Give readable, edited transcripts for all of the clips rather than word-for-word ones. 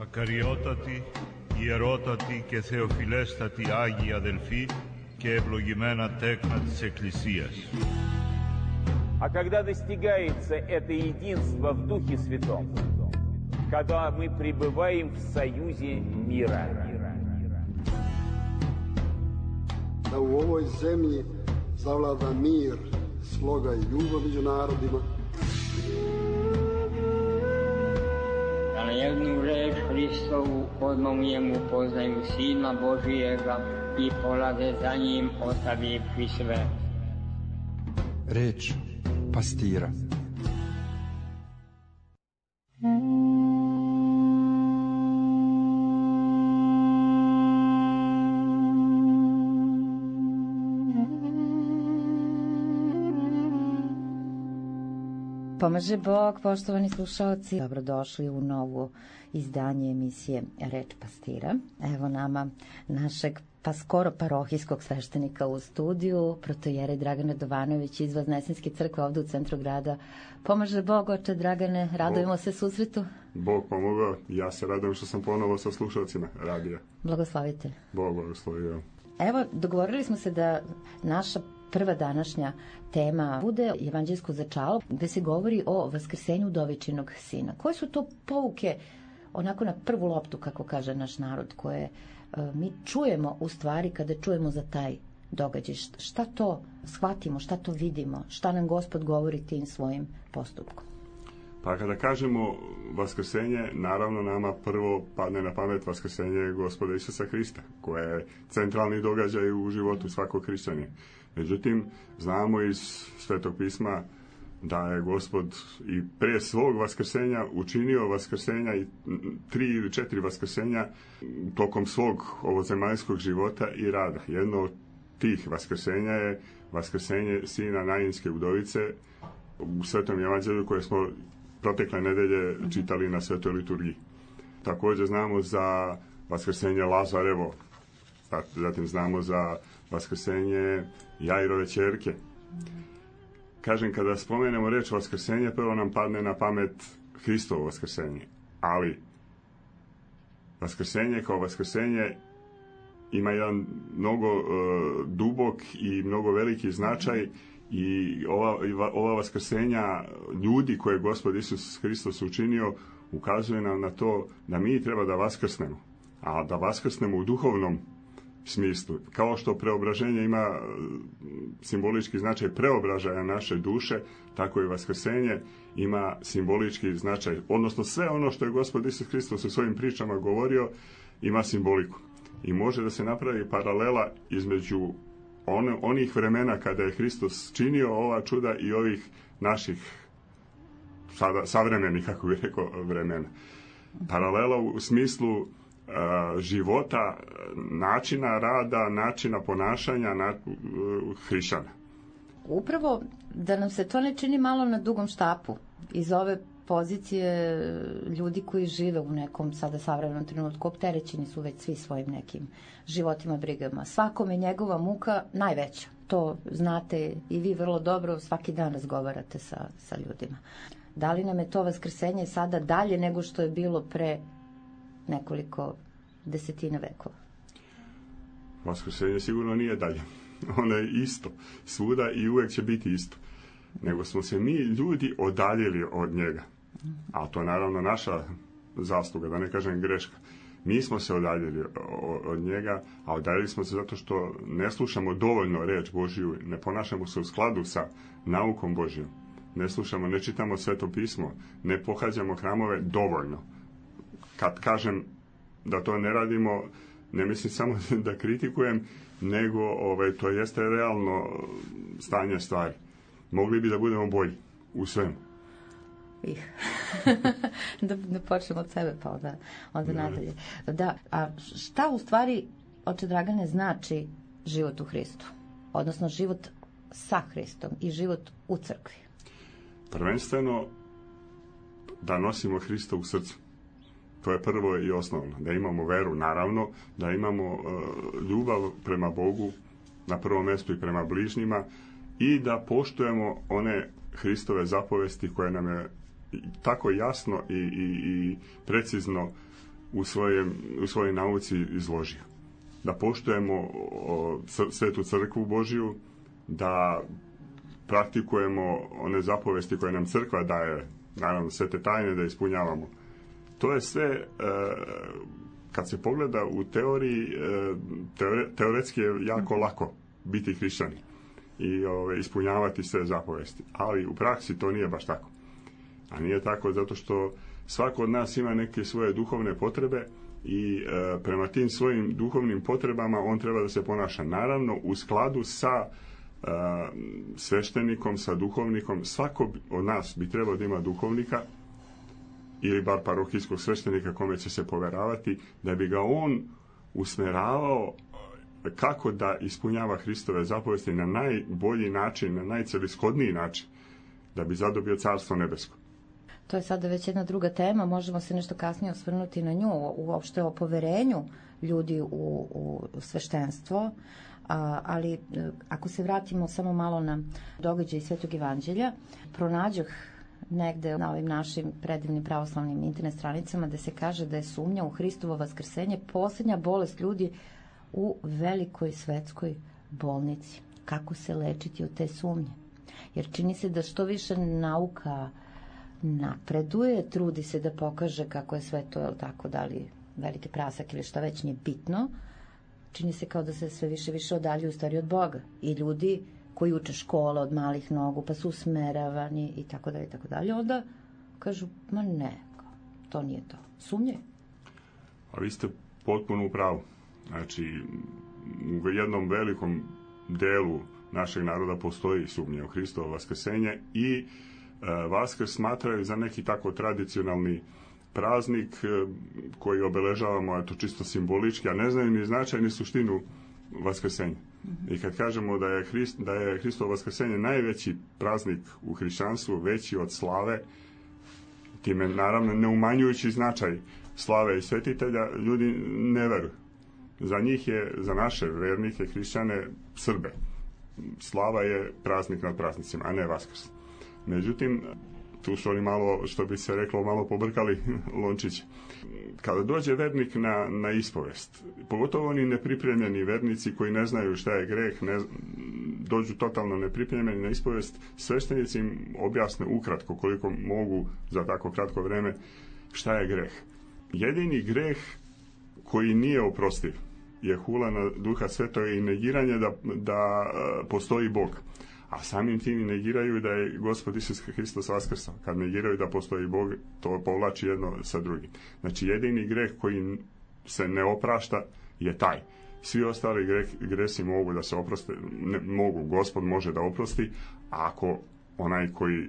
Ακαριότατοι, ιερότατοι και θεοφιλέστατοι Άγιοι αδελφοί και ευλογημένα τέκνα της Εκκλησίας. А когда достигается это единство в Духе Святом, когда мы пребываем в союзе мира. Da u ovoj zemlji zavlada mir, sloga i ljubav među narodima. Da na jednu reč Hristovu odmah poznaju Sina Božijega i polade za njim ostavivši sve. Reč pastira. Pomaže Bog, poštovani slušalci, dobrodošli u novo izdanje emisije Reč pastira. Evo nama našeg pa skoro parohijskog sveštenika u studiju, protojerej Dragan Radovanović iz Vaznesenske crkve ovde u centru grada. Pomaže Bog, oče Dragane, radujemo se susretu. Bog pomogao, ja se radujem što sam ponovo sa slušalcima radija. Blagoslavite. Bog blagoslovio. Evo, dogovorili smo se da naša prva današnja tema bude evanđelsko začalo, gde se govori o vaskrsenju udovičinog sina. Koje su to pouke, onako na prvu loptu, kako kaže naš narod, koje mi čujemo u stvari kada čujemo za taj događaj? Šta to shvatimo, šta to vidimo, šta nam Gospod govori tim svojim postupkom? Pa kada kažemo vaskrsenje, naravno nama prvo padne na pamet vaskrsenje Gospoda Isusa Hrista, koje je centralni događaj u životu svakog hrišćanina. Međutim, znamo iz Svetog pisma da je Gospod i pre svog vaskrsenja učinio vaskrsenja i 3 ili 4 vaskrsenja tokom svog ovozemaljskog života i rada. Jedno od tih vaskrsenja je vaskrsenje sina Nainske udovice u Svetom evanđelju koje smo protekle nedelje čitali na Svetoj liturgiji. Također znamo za vaskrsenje Lazarevo, zatim znamo za vaskrsenje Jairove ćerke. Kažem, kada spomenemo reč vaskrsenje, prvo nam padne na pamet Hristovo vaskrsenje. Ali vaskrsenje kao vaskrsenje ima jedan mnogo dubok i mnogo veliki značaj i ova vaskrsenja ljudi koje je Gospod Isus Hristos učinio ukazuje nam na to da mi treba da vaskrsnemo, a da vaskrsnemo u duhovnom smislu. Kao što preobraženje ima simbolički značaj preobražaja naše duše, tako i vaskrsenje ima simbolički značaj. Odnosno sve ono što je Gospod Isus Hristos u svojim pričama govorio ima simboliku. I može da se napravi paralela između onih vremena kada je Hristos činio ova čuda i ovih naših savremenih, kako bih rekao, vremena. Paralela u smislu života, načina rada, načina ponašanja hrišćana. Upravo da nam se to ne čini malo na dugom štapu iz ove pozicije ljudi koji žive u nekom sada savremenom trenutku, opterećeni su već svi svojim nekim životima, brigama. Svakom je njegova muka najveća. To znate i vi vrlo dobro, svaki dan razgovarate sa ljudima. Da li nam je to vaskrsenje sada dalje nego što je bilo pre nekoliko desetina vekova? Vaskrsenje sigurno nije dalje. Ono je isto svuda i uvek će biti isto. Nego smo se mi ljudi odaljili od njega. A to je naravno naša zasluga, da ne kažem greška. Mi smo se odaljili od njega, a odaljili smo se zato što ne slušamo dovoljno reč Božiju, ne ponašamo se u skladu sa naukom Božijom. Ne slušamo, ne čitamo Sveto pismo, ne pohađamo hramove dovoljno. Kad kažem da to ne radimo, ne mislim samo da kritikujem, nego to jeste realno stanje stvari. Mogli bi da budemo bolji u svemu. Da počnemo od sebe, pa onda nadalje. Da, a šta u stvari, oče Dragane, znači život u Hristu? Odnosno život sa Hristom i život u crkvi? Prvenstveno da nosimo Hrista u srcu. To je prvo i osnovno. Da imamo veru, naravno, da imamo ljubav prema Bogu, na prvom mjestu i prema bližnjima, i da poštujemo one Hristove zapovesti koje nam je tako jasno i precizno u svojoj nauci izložio. Da poštujemo svetu crkvu Božju, da praktikujemo one zapovesti koje nam crkva daje, naravno svete tajne da ispunjavamo. To je sve, kad se pogleda u teoriji, teoretski je jako lako biti hrišćanin i ispunjavati sve zapovesti. Ali u praksi to nije baš tako. A nije tako zato što svako od nas ima neke svoje duhovne potrebe i prema tim svojim duhovnim potrebama on treba da se ponaša. Naravno, u skladu sa sveštenikom, sa duhovnikom. Svako od nas bi trebao da ima duhovnika ili bar parohijskog sveštenika kome će se poveravati, da bi ga on usmeravao kako da ispunjava Hristove zapovesti na najbolji način, na najcelishodniji način, da bi zadobio Carstvo nebesko. To je sada već jedna druga tema, možemo se nešto kasnije osvrnuti na nju, uopšte o poverenju ljudi u sveštenstvo, ali ako se vratimo samo malo na događaj Svetog Evanđelja, pronađoh negde na ovim našim predivnim pravoslavnim internet stranicama da se kaže da je sumnja u Hristovo vaskrsenje poslednja bolest ljudi u velikoj svetskoj bolnici. Kako se lečiti od te sumnje? Jer čini se da što više nauka napreduje, trudi se da pokaže kako je sve to, tako, da li veliki prasak ili šta već, nije bitno, čini se kao da se sve više odaljuju stvari od Boga. I ljudi koji uče škole od malih nogu, pa su usmeravani i tako dalje, onda kažu, ma ne, to nije to. Sumnje. A vi ste potpuno u pravu. Znači, u jednom velikom delu našeg naroda postoji sumnja u Hristovo vaskrsenje i Vaskrs smatraju za neki tako tradicionalni praznik koji obeležavamo, eto, čisto simbolički, a ne znaju ni značaj ni suštinu vaskrsenja. I kad kažemo da je Hristovo vaskrsenje najveći praznik u hrišćanstvu, veći od slave, time naravno ne umanjujući značaj slave i svetitelja, ljudi ne veruju. Za njih je, za naše vernike, hrišćane, Srbe, slava je praznik nad praznicima, a ne Vaskrs. Međutim, tu su oni malo, što bi se reklo, malo pobrkali lončić. Kada dođe vernik na ispovest, pogotovo oni nepripremljeni vernici koji ne znaju šta je greh, dođu totalno nepripremljeni na ispovest, sveštenici im objasne ukratko, koliko mogu za tako kratko vreme, šta je greh. Jedini greh koji nije oprostiv je hula na Duha Svetog i negiranje da postoji Bog. A samim tim negiraju da je Gospod Isus Hristos vaskrsao. Kad negiraju da postoji Bog, to povlači jedno sa drugim. Znači, jedini greh koji se ne oprašta je taj. Svi ostali gresi mogu da se oproste, Gospod može da oprosti, a ako onaj koji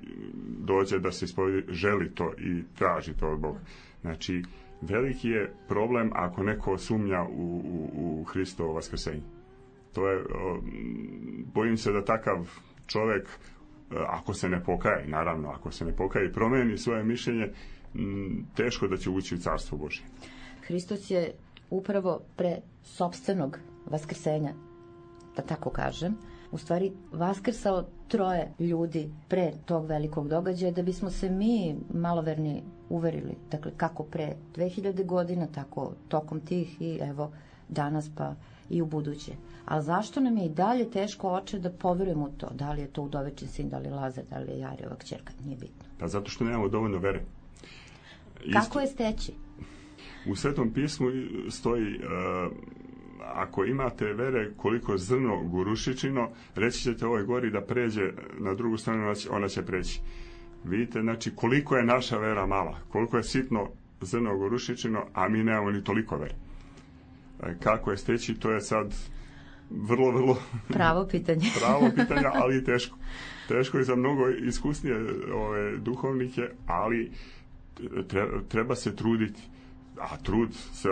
dođe da se ispovedi želi to i traži to od Boga. Znači, veliki je problem ako neko sumnja u Hristovo vaskrsenje. To je, bojim se da takav čovjek, ako se ne pokaje, naravno, ako se ne pokaje i promeni svoje mišljenje, teško da će ući u Carstvo Božje. Hristos je upravo pre sopstvenog vaskrsenja, da tako kažem, u stvari vaskrsao 3 ljudi pre tog velikog događaja, da bismo se mi maloverni uverili. Dakle, kako pre 2000 godina, tako tokom tih i evo danas pa i u buduće. A zašto nam je i dalje teško, oče, da poverujemo u to? Da li je to Udovečin sin, da li je Lazar, da li je Jarijeva kćerka? Nije bitno. Pa zato što nemamo dovoljno vere. Kako je steći? U Svetom pismu stoji, ako imate vere koliko zrno gorušičino, reći ćete ovoj gori da pređe na drugu stranu, ona će preći. Vidite, znači, koliko je naša vera mala, koliko je sitno zrno gorušičino, a mi nemamo ni toliko vere. Kako je steći, to je sad vrlo pravo pitanje. Pravo pitanje, ali teško. Teško je za mnogo iskusnije duhovnike, ali treba se truditi. A trud se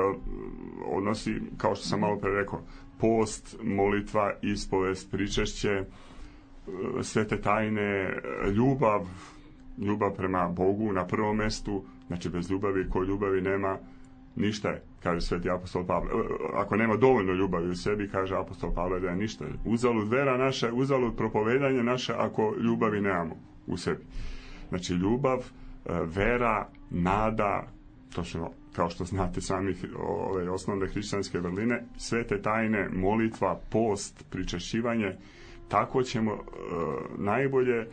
odnosi, kao što sam malo pre rekao, post, molitva, ispovest, pričešće, svete tajne, ljubav prema Bogu na prvom mestu. Znači, bez ljubavi, ko ljubavi nema, ništa je, kaže sveti apostol Pavle. Ako nema dovoljno ljubavi u sebi, kaže apostol Pavle, da je ništa. Uzalud vera naša, uzalud propovedanje naše, ako ljubavi nemamo u sebi. Znači, ljubav, vera, nada, točno kao što znate sami ove osnovne hrišćanske vrline, svete tajne, molitva, post, pričešćivanje, tako ćemo najbolje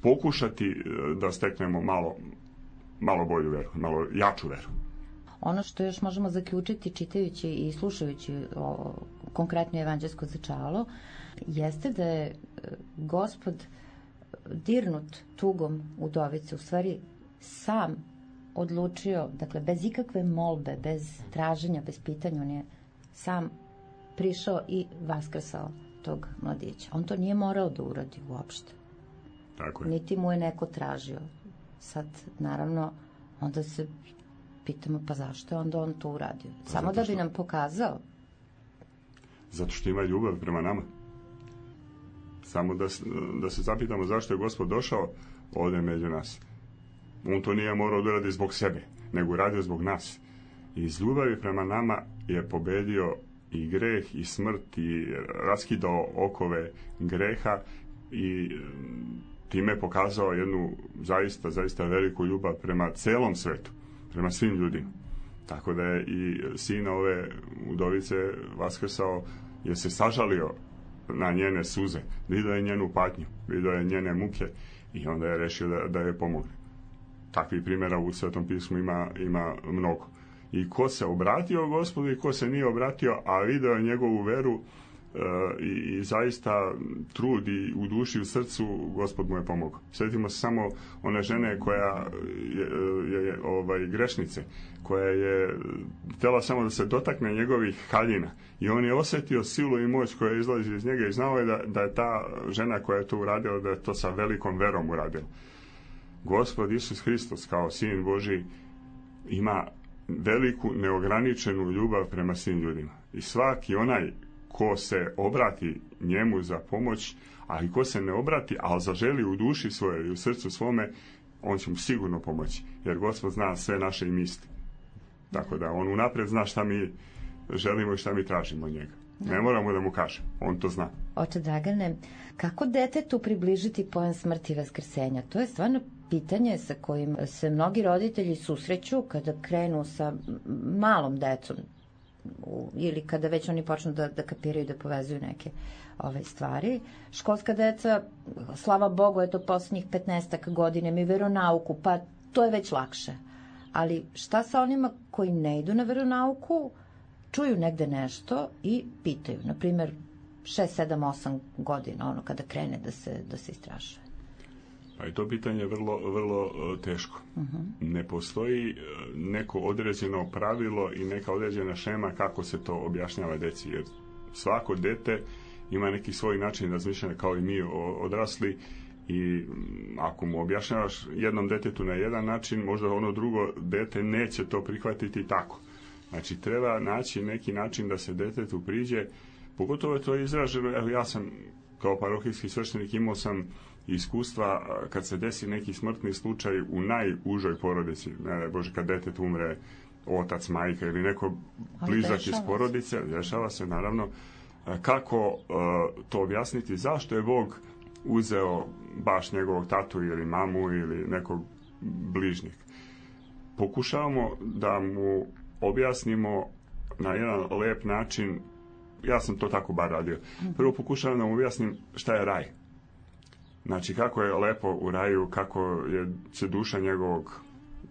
pokušati da steknemo malo bolju veru, malo jaču veru. Ono što još možemo zaključiti čitajući i slušajući konkretno evanđelsko začalo, jeste da je Gospod dirnut tugom udovice, u stvari sam odlučio, dakle bez ikakve molbe, bez traženja, bez pitanja, on je sam prišao i vaskrsao tog mladića. On to nije morao da uradi uopšte. Tako je. Niti mu je neko tražio. Sad, naravno, onda se pitamo, pa zašto je onda on to uradio? Samo da bi nam pokazao. Zato što ima ljubav prema nama. Samo da se zapitamo zašto je Gospod došao ovdje među nas. On to nije morao da uradi zbog sebe, nego uradio zbog nas. I iz ljubavi prema nama je pobedio i greh i smrt i raskidao okove greha i time pokazao jednu zaista veliku ljubav prema celom svetu, prema svim ljudima. Tako da je i sina ove udovice vaskrsao, jer se sažalio na njene suze, vidio je njenu patnju, vidio je njene muke i onda je rešio da je pomogne. Takvih primjera u Svetom pismu ima mnogo. I ko se obratio Gospodu i ko se nije obratio, a video je njegovu veru i zaista trud i u duši i u srcu, Gospod mu je pomogao. Sjetimo se samo one žene koja je grešnice, koja je htjela samo da se dotakne njegovih haljina i on je osjetio silu i moć koja izlazi iz njega i znao je da je ta žena koja je to uradila, da je to sa velikom verom uradila. Gospod Isus Hristos kao Sin Božji ima veliku neograničenu ljubav prema svim ljudima. I svaki onaj ko se obrati njemu za pomoć, a i ko se ne obrati, ali zaželi u duši svojoj i u srcu svome, on će mu sigurno pomoći. Jer Gospod zna sve naše i misli. Tako da on unaprijed zna šta mi želimo i šta mi tražimo od njega. Ne moramo da mu kažem, on to zna. Oče Dragane, kako detetu približiti pojam smrti i vaskrsenja? To je stvarno pitanje sa kojim se mnogi roditelji susreću kada krenu sa malom decom ili kada već oni počnu da kapiraju, da povezuju neke stvari. Školska deca, slava Bogu, eto posljednjih 15 godina mi veronauku, pa to je već lakše. Ali šta sa onima koji ne idu na veronauku, čuju negde nešto i pitaju, na primjer 6, 7, 8 godina, kada krene da se istražuje. Pa i to pitanje je vrlo teško. Ne postoji neko određeno pravilo i neka određena šema kako se to objašnjava deci, jer svako dete ima neki svoj način razmišljanja kao i mi odrasli i ako mu objašnjavaš jednom detetu na jedan način, možda ono drugo dete neće to prihvatiti tako. Znači, treba naći neki način da se detetu priđe, pogotovo je to izraženo, evo ja sam kao parohijski sveštenik imao sam iskustva kad se desi neki smrtni slučaj u najužoj porodici, ne daj Bože, kad detet umre, otac, majka ili neko blizak iz porodice, dešava se naravno, kako to objasniti, zašto je Bog uzeo baš njegovog tatu ili mamu ili nekog bližnjeg. Pokušavamo da mu objasnimo na jedan lep način, ja sam to tako bar radio. Prvo pokušavam da mu objasnim šta je raj. Znači kako je lepo u raju, kako će duša njegovog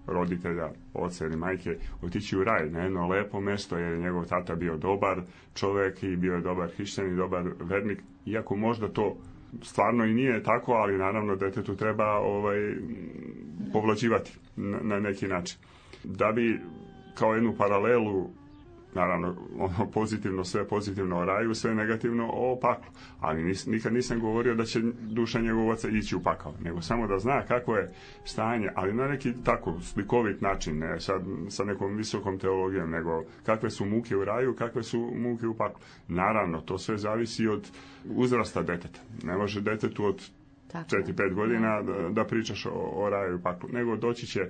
roditelja, oca ili majke, otići u raj, na jedno lepo mesto, jer je njegov tata bio dobar čovjek i bio je dobar hrišćanin, dobar vernik, iako možda to stvarno i nije tako, ali naravno detetu treba povlađivati na neki način. Da bi kao jednu paralelu, naravno ono pozitivno, sve pozitivno o raju, sve negativno o paklu, ali nikad nisam govorio da će duša njegovog oca ići u pakao, nego samo da zna kako je stanje, ali na neki tako slikovit način, ne sad sa nekom visokom teologijom, nego kakve su muke u raju, kakve su muke u paklu. Naravno, to sve zavisi od uzrasta deteta. Ne može detetu od 4-5 godina da pričaš o raju i paklu, nego doći će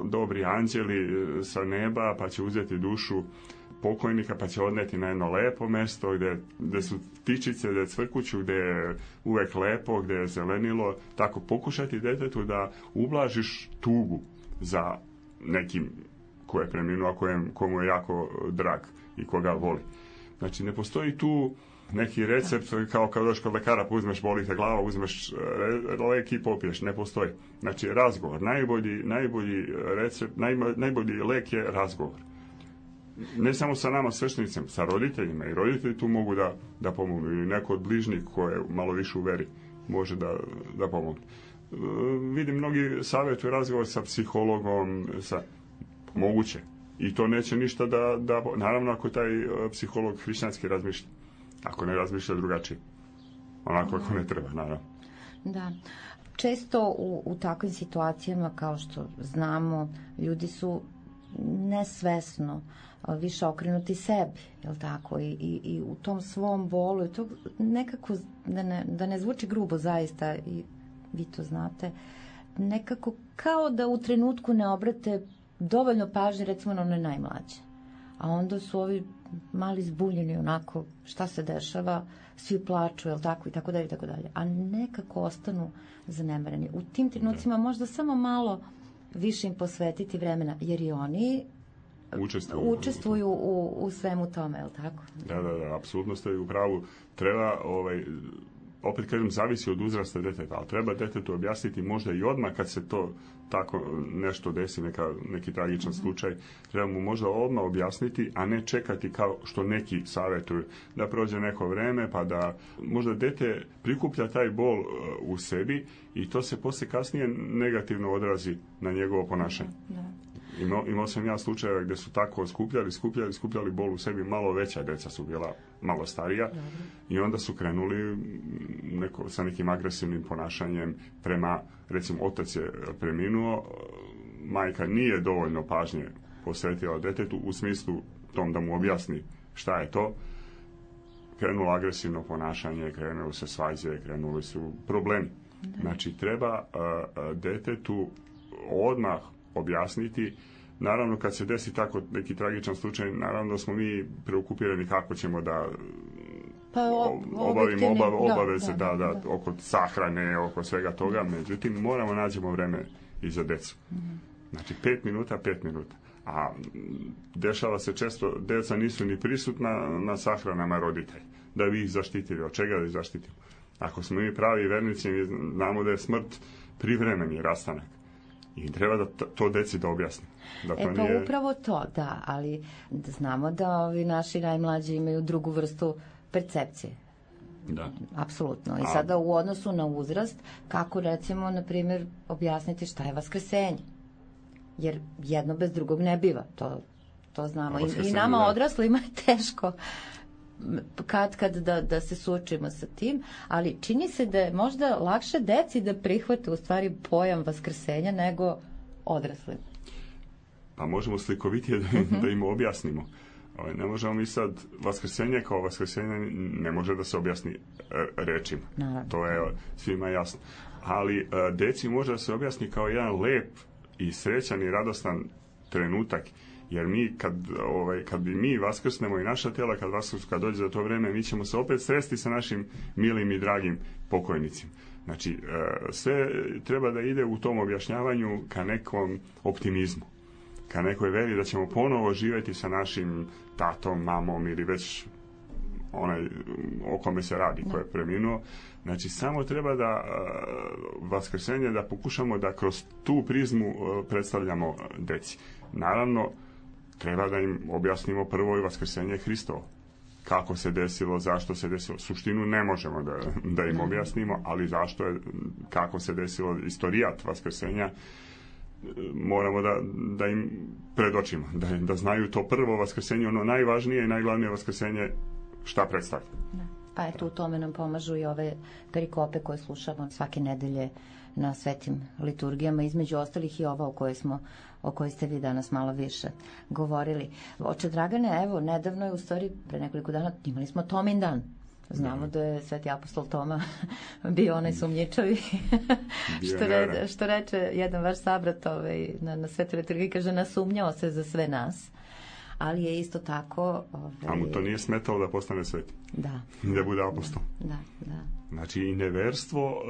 dobri anđeli sa neba, pa će uzeti dušu pokojnika, pa će odneti na jedno lepo mesto gdje su ptičice, gdje je cvrkuću, gdje je uvek lepo, gdje je zelenilo. Tako pokušati detetu da ublažiš tugu za nekim ko je preminuo, a komu je jako drag i koga voli. Znači, ne postoji tu neki recept kao kad dođeš kod lekara, pa uzmeš, boli te glava, uzmeš lek i popiješ. Ne postoji. Znači, razgovor. Najbolji recept, najbolji lek je razgovor. Ne samo sa nama sveštenicima, sa roditeljima. I roditelji tu mogu da pomognu. Ili neko od bližnjih ko je malo više u veri može da pomogne. Vidim, mnogi savjetuju razgovor sa psihologom, moguće. I to neće ništa da naravno ako taj psiholog hrišćanski razmišlja. Ako ne razmišlja drugačije. Onako ako ne treba, naravno. Da. Često u takvim situacijama, kao što znamo, ljudi su nesvesno više okrenuti sebi, jel tako? I u tom svom bolu, to nekako, da ne zvuči grubo zaista, i vi to znate, nekako kao da u trenutku ne obrate dovoljno pažnje, recimo, na one najmlađe. A onda su ovi mali zbunjeni onako, šta se dešava, svi plaču, jel tako, i tako dalje, i tako dalje. A nekako ostanu zanemareni. U tim trenucima možda samo malo više im posvetiti vremena, jer i oni učestvuju u svemu tome, jel tako? Da, apsolutno ste u pravu. Treba, opet kažem, zavisi od uzrasta deteta, ali treba detetu objasniti možda i odmah kad se to tako nešto desi, neki tragičan slučaj, treba mu možda odmah objasniti, a ne čekati kao što neki savjetuju, da prođe neko vreme, pa da možda dete prikuplja taj bol u sebi i to se poslije kasnije negativno odrazi na njegovo ponašanje. Imao sam ja slučajeva gdje su tako skupljali bol u sebi, malo veća deca su bila malo starija. Dobre. I onda su krenuli sa nekim agresivnim ponašanjem prema, recimo, otac je preminuo, majka nije dovoljno pažnje posvetila detetu u smislu tom da mu objasni šta je to. Krenulo agresivno ponašanje, krenuli se svađe, krenuli su problemi. Da. Znači, treba detetu odmah objasniti. Naravno, kad se desi tako neki tragičan slučaj, naravno da smo mi preokupirani kako ćemo da obavimo obaveze oko sahrane, oko svega toga. Međutim, moramo nađemo vreme i za decu. Znači, 5 minuta. A dešava se često, deca nisu ni prisutna na sahranama roditelja. Da bi ih zaštitili. Od čega da ih zaštitimo? Ako smo mi pravi vernici, mi znamo da je smrt privremeni rastanak. I treba da to deci da objasni. Upravo to, da, ali znamo da ovi naši najmlađi imaju drugu vrstu percepcije. Da. Apsolutno. I sada u odnosu na uzrast, kako recimo, na primjer, objasniti šta je vaskrsenje. Jer jedno bez drugog ne biva. To znamo. I nama odraslima je teško kad da se suočimo sa tim, ali čini se da je možda lakše deci da prihvate u stvari pojam vaskrsenja nego odraslim. Pa možemo slikovitije da im objasnimo. Ne možemo mi sad, vaskrsenje kao vaskrsenje ne može da se objasni rečima. Naravno. To je svima jasno. Ali deci može da se objasni kao jedan lep i srećan i radostan trenutak. Jer mi, kad bi mi vaskrsnemo i naša tijela, kad dođe za to vreme, mi ćemo se opet sresti sa našim milim i dragim pokojnicima. Znači, sve treba da ide u tom objašnjavanju ka nekom optimizmu, ka nekoj veri da ćemo ponovo živjeti sa našim tatom, mamom ili već onaj o kome se radi, ko je preminuo. Znači, samo treba da vaskrsenje, da pokušamo da kroz tu prizmu predstavljamo deci. Naravno, treba da im objasnimo prvo i vaskrsenje Hristovo. Kako se desilo, zašto se desilo. Suštinu ne možemo da im objasnimo, ali zašto je, kako se desilo, istorijat vaskrsenja, moramo da im predočimo. Da znaju to prvo vaskrsenje, ono najvažnije i najglavnije vaskrsenje, šta predstavlja. Pa eto, u tome nam pomažu i ove perikope koje slušamo svake nedelje na svetim liturgijama, između ostalih i ova o kojoj ste vi danas malo više govorili. Oče Dragane, evo, nedavno je, u stvari, pre nekoliko dana, imali smo Tomin dan. Znamo da je sveti apostol Toma bio onaj sumnjičavi. što reče jedan vaš sabrat na svetoj liturgiji, kaže, nasumnjao se za sve nas. Ali je isto tako... A mu to nije smetalo da postane sveti. Da. Da bude apostol. Da. Znači, i neverstvo,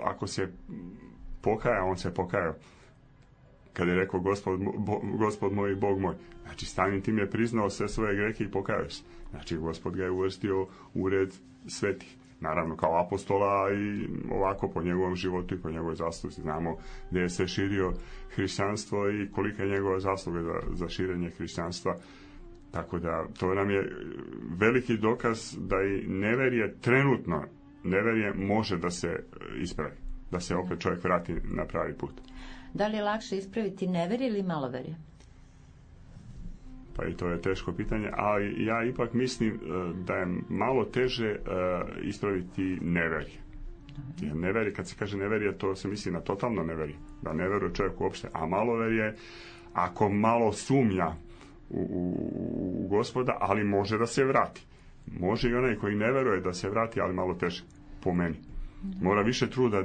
ako se pokaja, on se pokajao. kada je rekao gospod moj i Bog moj. Znači, samim tim je priznao sve svoje grehe i pokajao se. Znači, Gospod ga je uvrstio u red svetih. Naravno, kao apostola i ovako po njegovom životu i po njegovoj zasluzi. Znamo gdje je se širio hrišćanstvo i kolika je njegova zasluga za širenje hrišćanstva. Tako da, to nam je veliki dokaz da i neverje trenutno, neverje može da se ispravi, da se opet čovjek vrati na pravi put. Da li je lakše ispraviti neverje ili maloverje? Pa i to je teško pitanje, ali ja ipak mislim da je malo teže ispraviti neverje. Jer neverje, kad se kaže neverje, to se misli na totalno neverje. Da ne veruje čovjek uopšte, a maloverje, ako malo sumnja u Gospoda, ali može da se vrati. Može i onaj koji ne veruje da se vrati, ali malo teže, po meni. Mora više truda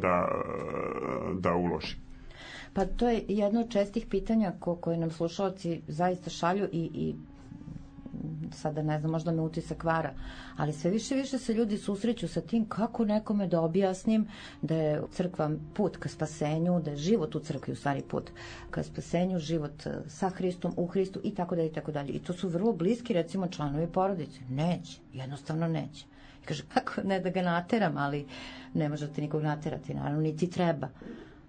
da uloži. Pa to je jedno od čestih pitanja koje nam slušalci zaista šalju i sada ne znam, možda me utisak vara, ali sve više se ljudi susreću sa tim kako nekome da objasnim da je crkva put ka spasenju, da je život u crkvi u stvari put ka spasenju, život sa Hristom, u Hristu i tako dalje i tako dalje. I to su vrlo bliski, recimo, članovi porodice. Neće, jednostavno neće. I kaže, kako ne da ga nateram, ali ne možete nikog naterati, naravno, niti treba.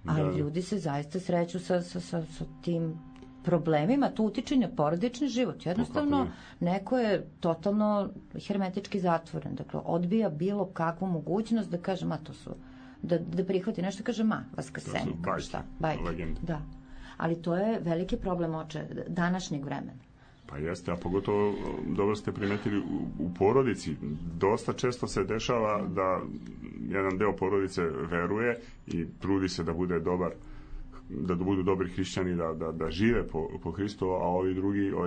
Ali ljudi se zaista sreću sa tim problemima, to utiče na porodični život. Jednostavno, neko je totalno hermetički zatvoren. Dakle, odbija bilo kakvu mogućnost da kaže, to su, da prihvati nešto, kaže, vaskrsenje. To su bajke. Da. Ali to je veliki problem današnjeg vremena. Pa jeste, a pogotovo dobro ste primetili u porodici. Dosta često se dešava da jedan deo porodice veruje i trudi se da bude dobar, da budu dobri hrišćani, da žive po Hristu, a ovaj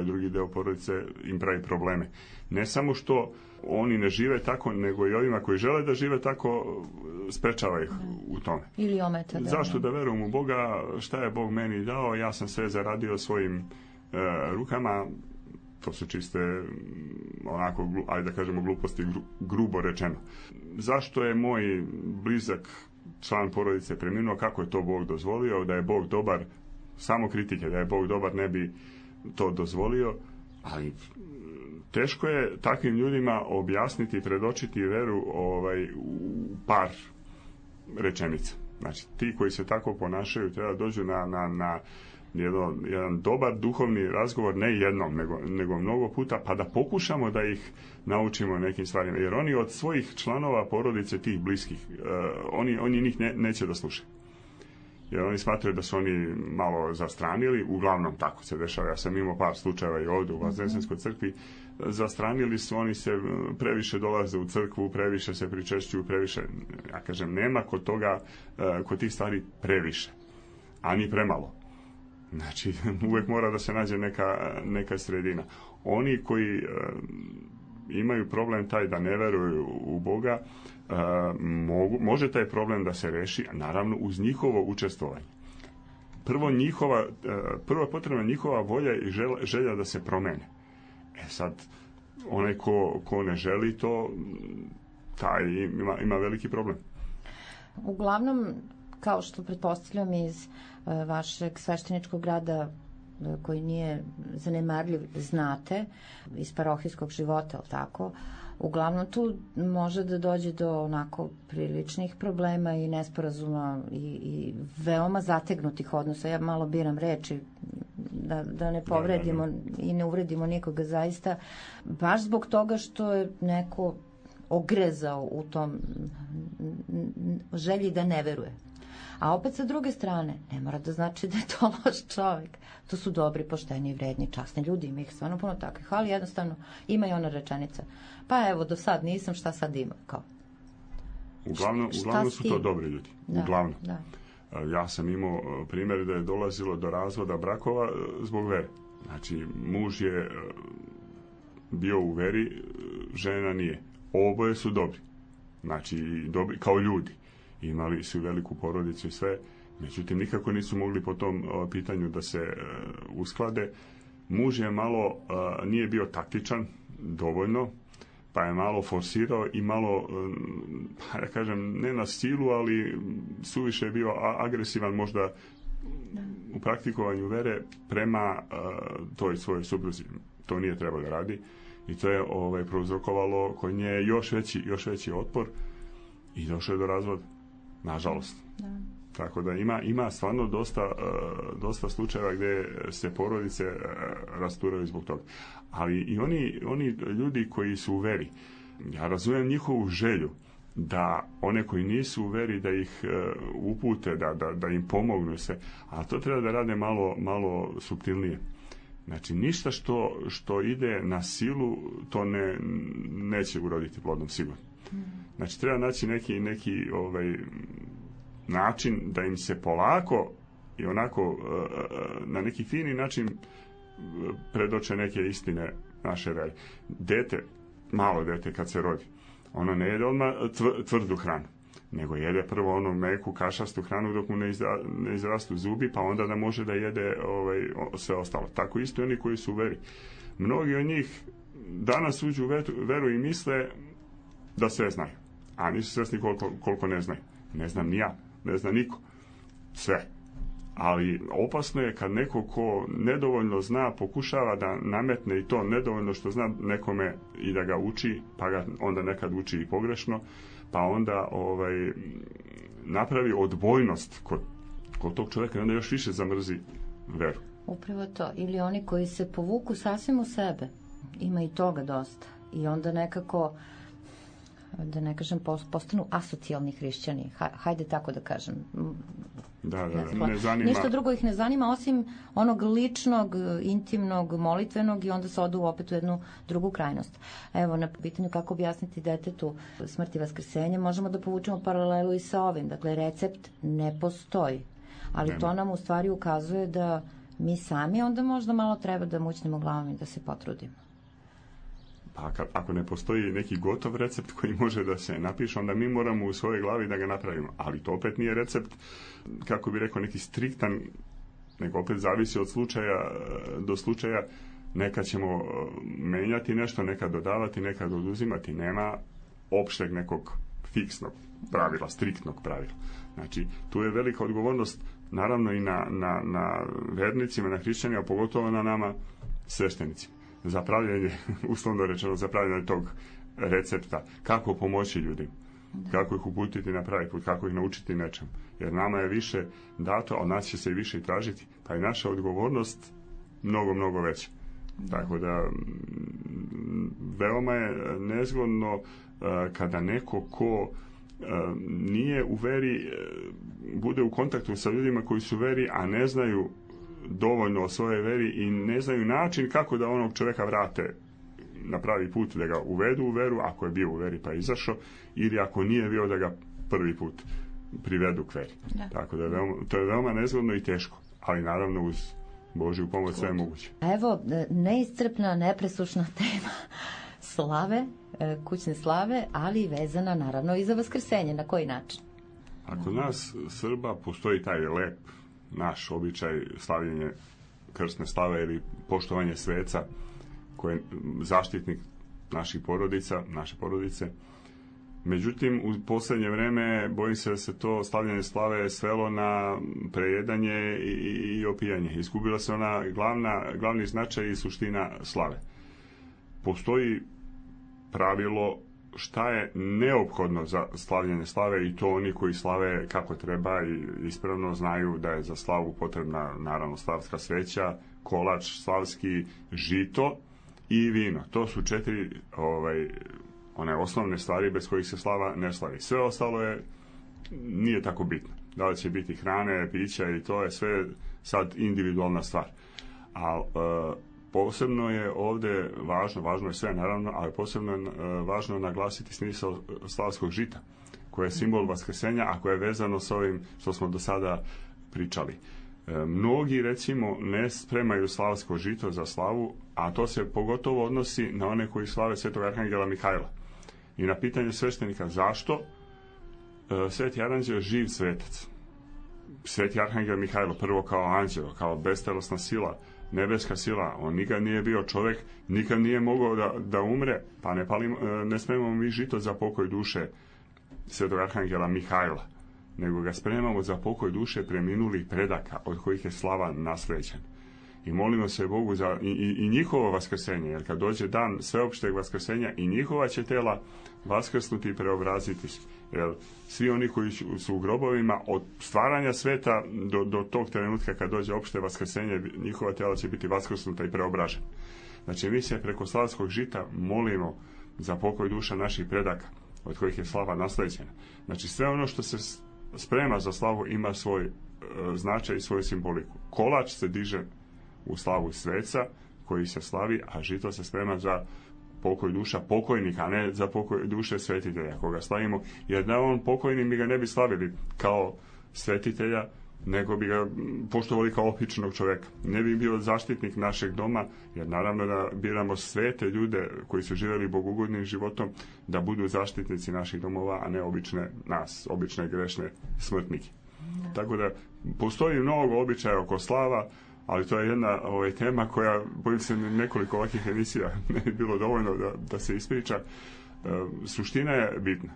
drugi deo porodice im pravi probleme. Ne samo što oni ne žive tako, nego i ovima koji žele da žive tako, sprečava ih u tome. Ili ometa. Zašto da verujem u Boga, šta je Bog meni dao, ja sam sve zaradio svojim rukama. To su čiste, onako, ajde da kažemo, gluposti, grubo rečeno. Zašto je moj blizak član porodice preminuo, kako je to Bog dozvolio, da je Bog dobar, samo kritike, da je Bog dobar ne bi to dozvolio, ali teško je takvim ljudima objasniti i predočiti veru u par rečenica. Znači, ti koji se tako ponašaju treba dođu na jedan dobar duhovni razgovor, ne jednom, nego mnogo puta, pa da pokušamo da ih naučimo nekim stvarima. Jer oni od svojih članova porodice, tih bliskih, oni njih neće da slušaju. Jer oni smatraju da su oni malo zastranili, uglavnom tako se dešava. Ja sam imao par slučajeva i ovdje u Vaznesenskoj crkvi. Zastranili su, oni se previše dolaze u crkvu, previše se pričešćuju, previše, ja kažem, nema kod tih stvari previše, a ni premalo. Znači, uvijek mora da se nađe neka sredina. Oni koji imaju problem taj da ne veruju u Boga, može taj problem da se reši, naravno, uz njihovo učestvovanje. Prvo je potrebna njihova volja i želja da se promene. Sad, onaj ko ne želi to, taj ima veliki problem. Uglavnom, kao što pretpostavljam iz vašeg svešteničkog rada koji nije zanemarljiv, znate, iz parohijskog života, ali tako, uglavnom tu može da dođe do onako priličnih problema i nesporazuma i veoma zategnutih odnosa. Ja malo biram reči da ne povredimo i ne uvredimo nikoga zaista, baš zbog toga što je neko ogrezao u tom želji da ne veruje. A opet sa druge strane, ne mora da znači da je to loš čovjek. To su dobri, pošteni, vredni, časni ljudi, ima ih stvarno puno takvih, ali jednostavno ima i ona rečenica. Pa evo, do sad nisam, šta sad ima? Kao. Uglavnom su to dobri ljudi. Uglavnom. Da. Ja sam imao primjer da je dolazilo do razvoda brakova zbog vere. Znači, muž je bio u veri, žena nije. Oboje su dobri. Znači, dobri kao ljudi. Imali su veliku porodicu i sve, međutim nikako nisu mogli po tom pitanju da se usklade. Muž je malo, nije bio taktičan dovoljno, pa je malo forsirao i malo, ja kažem, ne na silu, ali suviše je bio agresivan možda u praktikovanju vere prema toj svojoj supruzi. To nije trebalo da radi i to je prouzrokovalo kod nje još veći otpor i došlo je do razvoda, nažalost. Da. Tako da ima stvarno dosta slučajeva gdje se porodice rasturaju zbog toga. Ali i oni ljudi koji su u veri, ja razumijem njihovu želju da one koji nisu u veri da ih upute, da im pomognu se, a to treba da rade malo suptilnije. Znači, ništa što ide na silu, to neće uroditi plodom sigurno. Znači, treba naći neki način da im se polako i onako na neki fini način predoče neke istine naše vere. Malo dete kad se rodi, ono ne jede odmah tvrdu hranu, nego jede prvo onu meku kašastu hranu dok mu ne izrastu zubi, pa onda da može da jede sve ostalo. Tako isto oni koji su u veri. Mnogi od njih danas uđu u veru i misle da sve znaju, a nisu svjesni koliko ne znaju. Ne znam ni ja, ne zna niko sve. Ali opasno je kad neko ko nedovoljno zna pokušava da nametne i to nedovoljno što zna nekome i da ga uči, pa ga onda nekad uči i pogrešno, pa onda napravi odbojnost kod tog čovjeka i onda još više zamrzi veru. Upravo to. Ili oni koji se povuku sasvim u sebe. Ima i toga dosta. I onda nekako, da ne kažem, postanu asocijalni hrišćani. Hajde tako da kažem. Da, ne zanima. Ništa drugo ih ne zanima osim onog ličnog, intimnog, molitvenog i onda se odu opet u jednu drugu krajnost. Evo, na pitanju kako objasniti detetu smrt i vaskrsenje, možemo da povučemo paralelu i sa ovim. Dakle, recept ne postoji. Ali to nam u stvari ukazuje da mi sami onda možda malo treba da mućnemo glavom i da se potrudimo. Pa ako ne postoji neki gotov recept koji može da se napiše, onda mi moramo u svojoj glavi da ga napravimo. Ali to opet nije recept, kako bi rekao, neki striktan, nego opet zavisi od slučaja do slučaja. Nekad ćemo menjati nešto, nekad dodavati, nekad oduzimati. Nema opšteg nekog fiksnog pravila, striktnog pravila. Znači, tu je velika odgovornost, naravno i na vernicima, na hrišćanima, pogotovo na nama sveštenicima. Za pravljanje, uslovno rečeno, za pravljanje tog recepta. Kako pomoći ljudima, kako ih uputiti na pravi put, kako ih naučiti nečemu. Jer nama je više dato, a od nas će se i više i tražiti, pa je naša odgovornost mnogo veća. Tako da veoma je nezgodno kada neko ko nije u veri bude u kontaktu sa ljudima koji su u veri, a ne znaju dovoljno o svojoj veri i ne znaju način kako da onog čovjeka vrate na pravi put, da ga uvedu u veru, ako je bio u veri pa izašao, ili ako nije bio da ga prvi put privedu k veri. Da. Tako da to je veoma nezgodno i teško, ali naravno uz Božju pomoć sve je moguće. Evo, neiscrpna, nepresušna tema slave, kućne slave, ali vezana naravno i za vaskrsenje. Na koji način? A kod nas Srba postoji taj lep naš običaj slavljenje krstne slave ili poštovanje sveca koji je zaštitnik naših porodica, naše porodice. Međutim, u posljednje vreme bojim se da se to slavljanje slave svelo na prejedanje i opijanje. Izgubila se ona glavni značaj i suština slave. Postoji pravilo šta je neophodno za slavljanje slave i to oni koji slave kako treba i ispravno znaju da je za slavu potrebna naravno slavska sveća, kolač slavski, žito i vino. To su 4 one osnovne stvari bez kojih se slava ne slavi. Sve ostalo nije tako bitno. Da li će biti hrane, pića i to je sve sad individualna stvar. A posebno je ovdje važno je sve naravno, ali posebno je važno naglasiti smisao slavskog žita, koje je simbol vaskrsenja, a koje je vezano s ovim što smo do sada pričali. Mnogi, recimo, ne spremaju slavsko žito za slavu, a to se pogotovo odnosi na one koji slave svetog arhangela Mihajla. I na pitanje sveštenika zašto, sveti aranđeo živ svetac. Sveti arhangel Mihajlo, prvo kao anđelo, kao bestelesna sila, nebeska sila, on nikad nije bio čovjek, nikad nije mogao da umre, pa ne spremamo mi žito za pokoj duše svetog arhangela Mihajla. nego ga spremamo za pokoj duše preminulih predaka od kojih je slava nasleđena. I molimo se Bogu za i njihovo vaskrsenje, jer kad dođe dan sveopšteg vaskrsenja i njihova će tela vaskrsnuti i preobraziti se. Jer svi oni koji su u grobovima od stvaranja sveta do tog trenutka kad dođe opšte vaskrsenje, njihova tela će biti vaskrsnuta i preobražena. Znači mi se preko slavskog žita molimo za pokoj duša naših predaka od kojih je slava nasleđena. Znači sve ono što se sprema za slavu ima svoj značaj i svoju simboliku. Kolač se diže u slavu sveca koji se slavi, a žito se sprema za pokoj duša pokojnika, a ne za pokoj duše svetitelja koga slavimo, jer da on pokojni mi ga ne bi slavili kao svetitelja, nego bi ga poštovali kao običnog čoveka. Ne bi bio zaštitnik našeg doma, jer naravno da biramo svete ljude koji su živjeli bogugodnim životom da budu zaštitnici naših domova, a ne obične grešne smrtnike. Tako da postoji mnogo običaja oko slava, ali to je jedna tema koja, bojim se, nekoliko ovakvih emisija ne bi bilo dovoljno da se ispriča. Suština je bitna.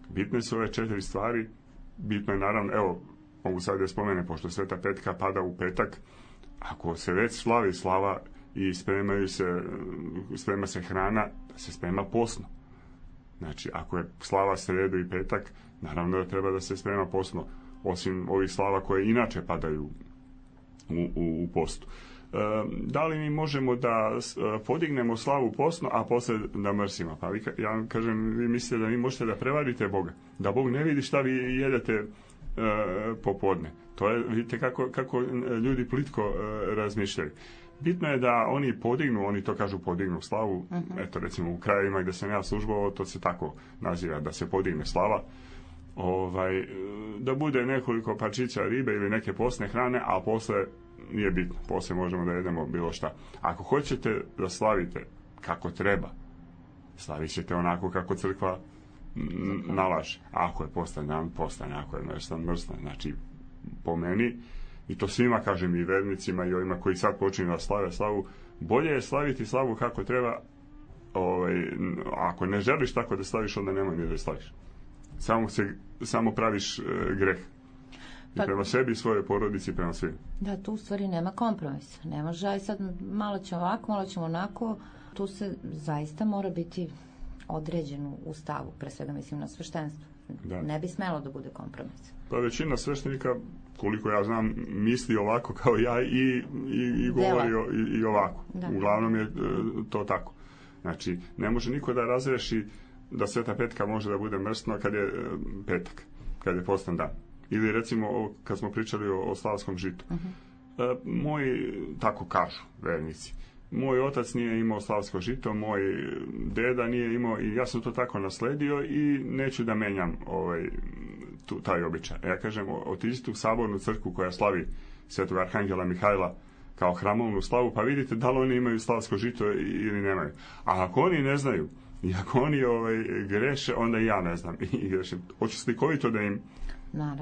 Bitne su ove 4 stvari. Bitno je naravno, evo, mogu sad da spomenem, pošto Sveta Petka pada u petak, ako se već slavi slava i sprema se hrana, da se sprema postno. Znači, ako je slava sredu i petak, naravno da treba da se sprema postno, osim ovih slava koje inače padaju u postu. Da li mi možemo da podignemo slavu postno, a posle da mrsimo? Pa ja vam kažem, vi mislite da vi možete da prevarite Boga, da Bog ne vidi šta vi jedete popodne. To je, vidite kako ljudi plitko razmišljaju. Bitno je da oni podignu, oni to kažu podignu slavu, eto recimo u krajevima gde sam ja službovao, to se tako naziva, da se podigne slava, da bude nekoliko parčića ribe ili neke postne hrane, a posle nije bitno, posle možemo da jedemo bilo šta. Ako hoćete da slavite kako treba, slavit ćete onako kako crkva nalaže. Ako je postan dan, postane, ako je mrstan. Znači, po meni, i to svima kažem, i vernicima i ovima koji sad počinju da slave slavu, bolje je slaviti slavu kako treba. Ako ne želiš tako da slaviš, onda nemoj ni da slaviš. Samo praviš greh. I prema sebi, svojoj porodici, prema svim. Da, tu u stvari nema kompromisa. Ne može, aj sad malo ćemo ovako, malo ćemo onako. Tu se zaista mora biti određenu u stavu, pre svega mislim na sveštenstvo. Da. Ne bi smelo da bude kompromis. Pa većina sveštenika, koliko ja znam, misli ovako kao ja i govori i ovako. Da. Uglavnom je to tako. Znači, ne može niko da razreši da Sveta Petka može da bude mrsno kad je petak, kad je postan dan. Ili recimo, kad smo pričali o slavskom žitu. Moji, tako kažu vernici, moj otac nije imao slavsko žito, moj deda nije imao i ja sam to tako nasledio i neću da menjam taj običaj. Ja kažem, otiđite u sabornu crkvu koja slavi Svetog Arhangela Mihajla kao hramovnu slavu, pa vidite da li oni imaju slavsko žito ili nemaju. A ako oni ne znaju i ako oni greše, onda i ja ne znam i grešim. Hoću slikovito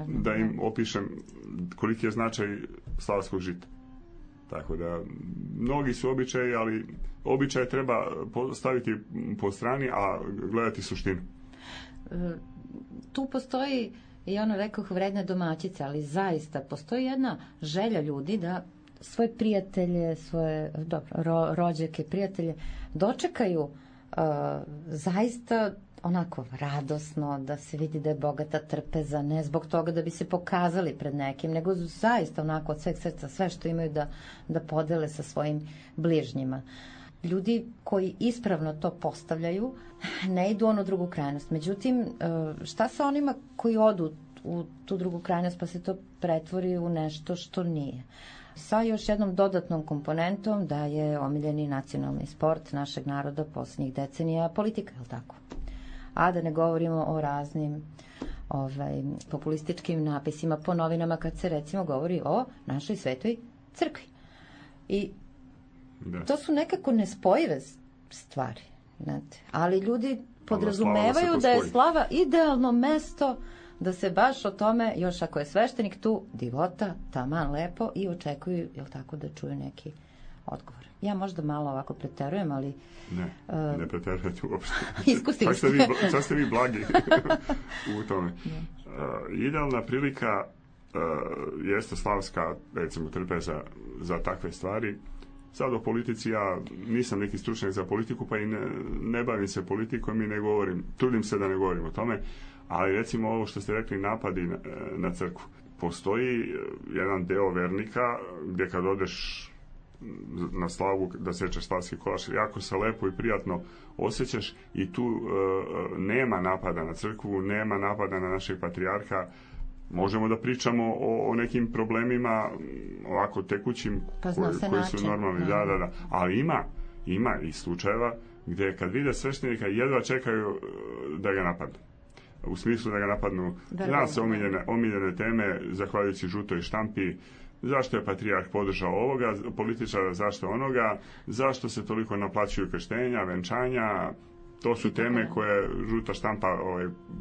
da im opišem koliki je značaj slavskog žita. Tako da, mnogi su običaji, ali običaje treba staviti po strani, a gledati suštinu. Tu postoji, i ono rekoh, vredne domaćice, ali zaista postoji jedna želja ljudi da svoje prijatelje, svoje rođake, prijatelje dočekaju zaista onako radosno, da se vidi da je bogata trpeza, ne zbog toga da bi se pokazali pred nekim, nego zaista onako od sveg srca sve što imaju da podele sa svojim bližnjima. Ljudi koji ispravno to postavljaju ne idu u onu drugu krajnost. Međutim, šta sa onima koji odu u tu drugu krajnost pa se to pretvori u nešto što nije? Sa još jednom dodatnom komponentom da je omiljeni nacionalni sport našeg naroda posljednjih decenija politika, je li tako? A da ne govorimo o raznim populističkim napisima po novinama kad se recimo govori o našoj svetoj crkvi. I to su nekako nespojive stvari. Znate. Ali ljudi podrazumevaju da je slava idealno mesto da se baš o tome, još ako je sveštenik tu, divota, taman lepo i očekuju, jel tako, da čuju neki odgovor. Ja možda malo ovako preterujem, ali... Ne preterujete uopšte. Iskusili ste. Čak ste vi blagi u tome. Idealna prilika jeste slavska, recimo, trpeza za takve stvari. Sad o politici, ja nisam neki stručnjak za politiku, pa i ne bavim se politikom i ne govorim, trudim se da ne govorim o tome, ali recimo ovo što ste rekli, napadi na crkvu. Postoji jedan deo vernika gdje kad odeš na slavu da sečeš slavski kolač, jako se lepo i prijatno osjećaš i tu nema napada na crkvu, nema napada na našeg patrijarha. Možemo da pričamo o nekim problemima ovako tekućim koji su normalni, da. Ali ima i slučajeva gdje kad vide sveštenika jedva čekaju da ga napadnu. U smislu da ga napadnu, zna se omiljene teme, zahvaljujući žutoj štampi, zašto je patrijarh podržao ovoga političara, zašto onoga, zašto se toliko naplaćuju krštenja, venčanja. To su teme koje žuta štampa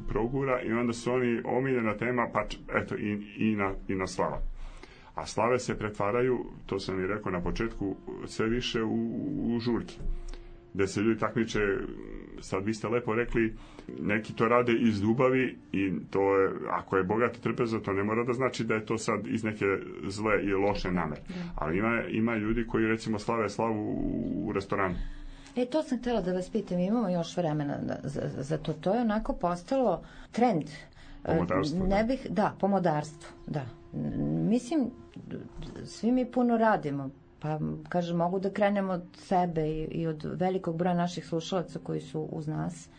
progura i onda su oni omiljena tema, pa eto i na slava. A slave se pretvaraju, to sam i rekao na početku, sve više u žurke. Gde se ljudi takmiče, sad vi ste lepo rekli, neki to rade iz ljubavi i to je, ako je bogat i trpeza, to ne mora da znači da je to sad iz neke zle i loše namere. Ali ima ljudi koji recimo slave slavu u restoranu. To sam htjela da vas pitam, imamo još vremena za to. To je onako postalo trend. Pomodarstvo. Pomodarstvo, da. Mislim, svi mi puno radimo, pa kažem, mogu da krenemo od sebe i od velikog broja naših slušalaca koji su uz nas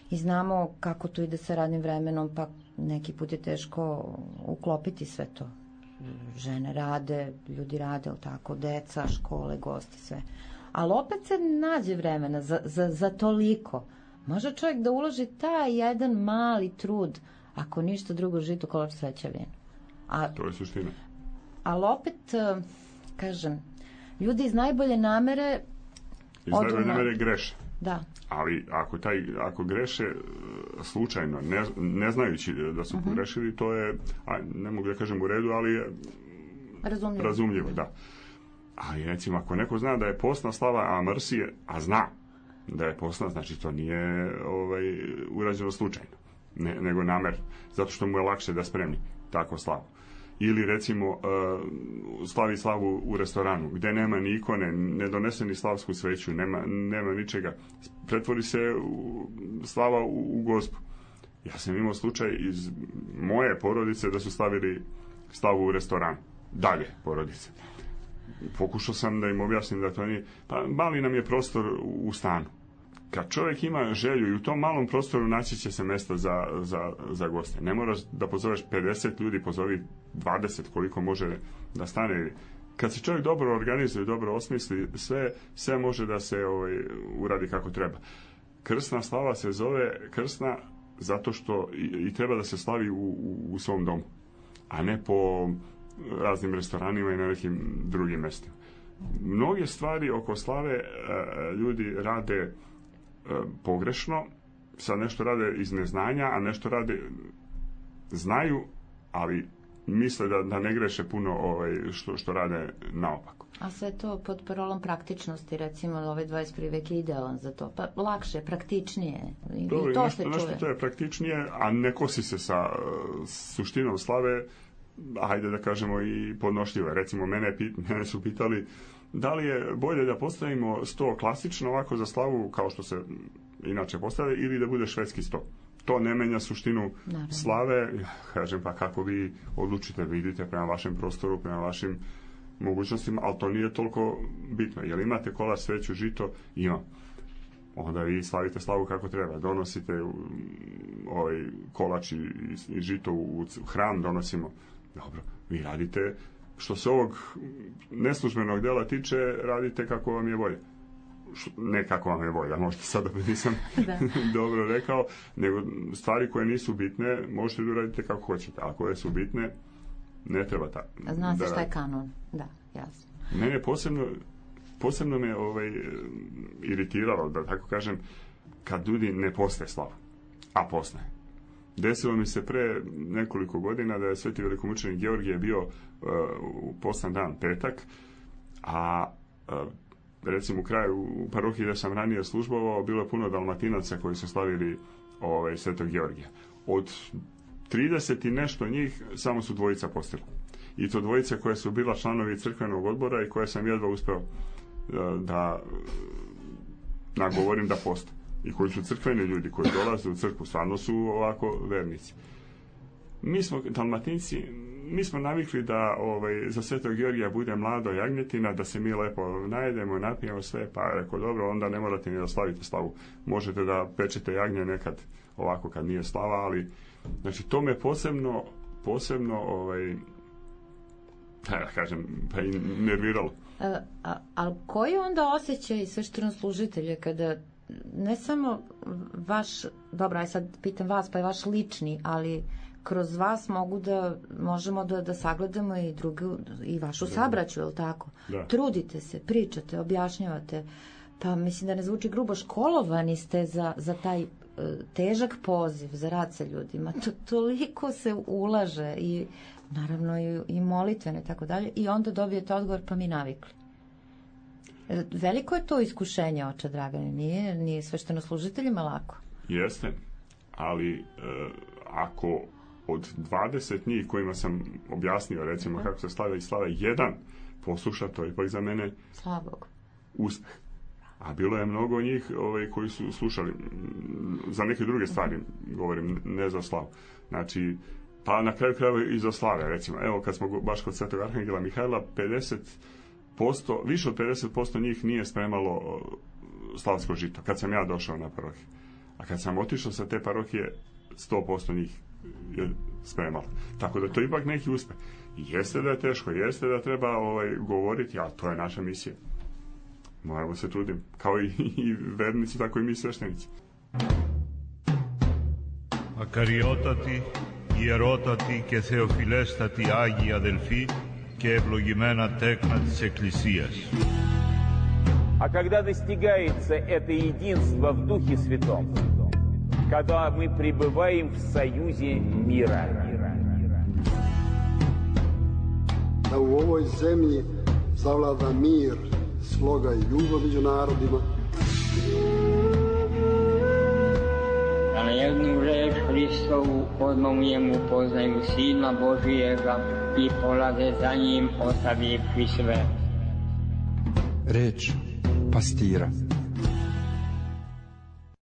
i znamo kako to ide sa radnim vremenom, pa neki put je teško uklopiti sve to. Žene rade, ljudi rade, tako, deca, škole, gosti, sve. Ali opet se nađe vremena za toliko. Može čovjek da uloži taj jedan mali trud, ako ništa drugo, žito, kolač, sreća, vino. To je suština. Ali opet, kažem, ljudi iz najbolje namere... Iz najbolje namere greše. Da. Ali ako greše slučajno, ne znajući da su pogrešili, to je, ne mogu da kažem u redu, ali je razumljivo, da. Ali recimo, ako neko zna da je postna slava, a mrsi je, a zna da je postna, znači to nije urađeno slučajno, nego namer, zato što mu je lakše da spremi takvu slavu. Ili recimo slavi slavu u restoranu, gdje nema ni ikone, ne donese ni slavsku sveću, nema ničega. Pretvori se slava u gospu. Ja sam imao slučaj iz moje porodice da su slavili slavu u restoranu. Dalje porodice. Pokušao sam da im objasnim da to nije... Pa mali nam je prostor u stanu. Kad čovjek ima želju i u tom malom prostoru naći će se mesta za goste. Ne moraš da pozoveš 50 ljudi, pozovi 20 koliko može da stane. Kad se čovjek dobro organizuje, dobro osmisli, sve može da se uradi kako treba. Krsna slava se zove krsna zato što i treba da se slavi u svom domu, a ne po raznim restoranima i na nekim drugim mestima. Mnoge stvari oko slave ljudi rade pogrešno, sad nešto rade iz neznanja, a nešto rade znaju, ali misle da ne greše puno što rade naopako. A sve to pod parolom praktičnosti, recimo, 21. vek je idealan za to, pa lakše, praktičnije. I to se čuje. Nešto to je praktičnije, a ne kosi se sa suštinom slave, hajde da kažemo i podnošljivo. Recimo, mene su pitali da li je bolje da postavimo sto klasično ovako za slavu kao što se inače postavlja ili da bude švedski sto. To ne menja suštinu slave. Kažem, pa kako vi odlučite, vidite prema vašem prostoru, prema vašim mogućnostima, ali to nije toliko bitno. Jel imate kolač, sveću, žito? Ima. Onda vi slavite slavu kako treba. Donosite kolač i žito u hram, donosimo. Dobro, vi radite, što se ovog neslužbenog dela tiče, radite kako vam je volja. Ne kako vam je volja, možda sada nisam dobro rekao, nego stvari koje nisu bitne možete da uradite kako hoćete, a koje su bitne ne treba tako. Zna se šta je kanon, da, jasno. Mene posebno me iritiralo, da tako kažem, kad ljudi ne postaje slava, a postaje. Desilo mi se pre nekoliko godina da je sveti velikomučenik Georgije bio u postan dan, petak, a recimo u kraju, u parohiji gdje sam ranije službovao, bilo je puno Dalmatinaca koji su slavili Svetog Georgija. Od 30 i nešto njih samo su dvojica postila. I to dvojica koja su bila članovi crkvenog odbora i koje sam jedva uspeo da nagovorim da poste. I koji su crkveni ljudi koji dolaze u crkvu, stvarno su ovako vernici. Mi smo Dalmatinci, mi smo navikli da za Svetog Georgija bude mlado jagnjetina, da se mi lepo najedemo, napijemo sve, pa rekao, dobro, onda ne morate ni da slavite slavu. Možete da pečete jagnje nekad ovako kad nije slava, ali znači to me posebno da kažem, pa i nerviralo. Ali koji onda osjećaj sveštenoslужitelja kada ne samo vaš, dobro, aj sad pitam vas, pa je vaš lični, ali kroz vas možemo da sagledamo i drugu, i vašu sabraću, je li tako? Da. Trudite se, pričate, objašnjavate, pa mislim da ne zvuči grubo, školovani ste za taj težak poziv, za rad sa ljudima. Toliko se ulaže i naravno i molitvene, tako dalje, i onda dobijete odgovor, pa mi navikli. Veliko je to iskušenje, oče Dragane, nije sveštenoslужiteljima lako. Jeste, ali ako od 20 njih kojima sam objasnio, recimo, kako se slave i slave, jedan posluša, to je ipak za mene uspeh. A bilo je mnogo njih koji su slušali za neke druge stvari, govorim, ne za slavu. Znači, pa na kraju krajeva i za slave, recimo. Evo, kad smo baš kod Svetog Arhangela Mihajla, više od 50% njih nije spremalo slavsko žito, kad sam ja došao na parohiju. A kad sam otišao sa te parohije, 100% njih je spremalo. Tako da to ipak neki uspeh. Jeste da je teško, jeste da treba govoriti, a to je naša misija. Moramo se truditi, kao i vernici, tako i mi sveštenici. Ακαριότατη, ιερότατη και θεοφιλέστατη Άγιοι αδελφοί και ευλογημένα τέκνα της Εκκλησίας. А когда достигается это единство в Духе Святом, когда мы пребываем в союзе мира. Da u ovoj zemlji zavlada mir, sloga i ljubav među narodima. Da na jednu reč Hristovu odmah u njemu poznaju Sina Božijega i polaze za njim ostavivši sve. Reč pastira.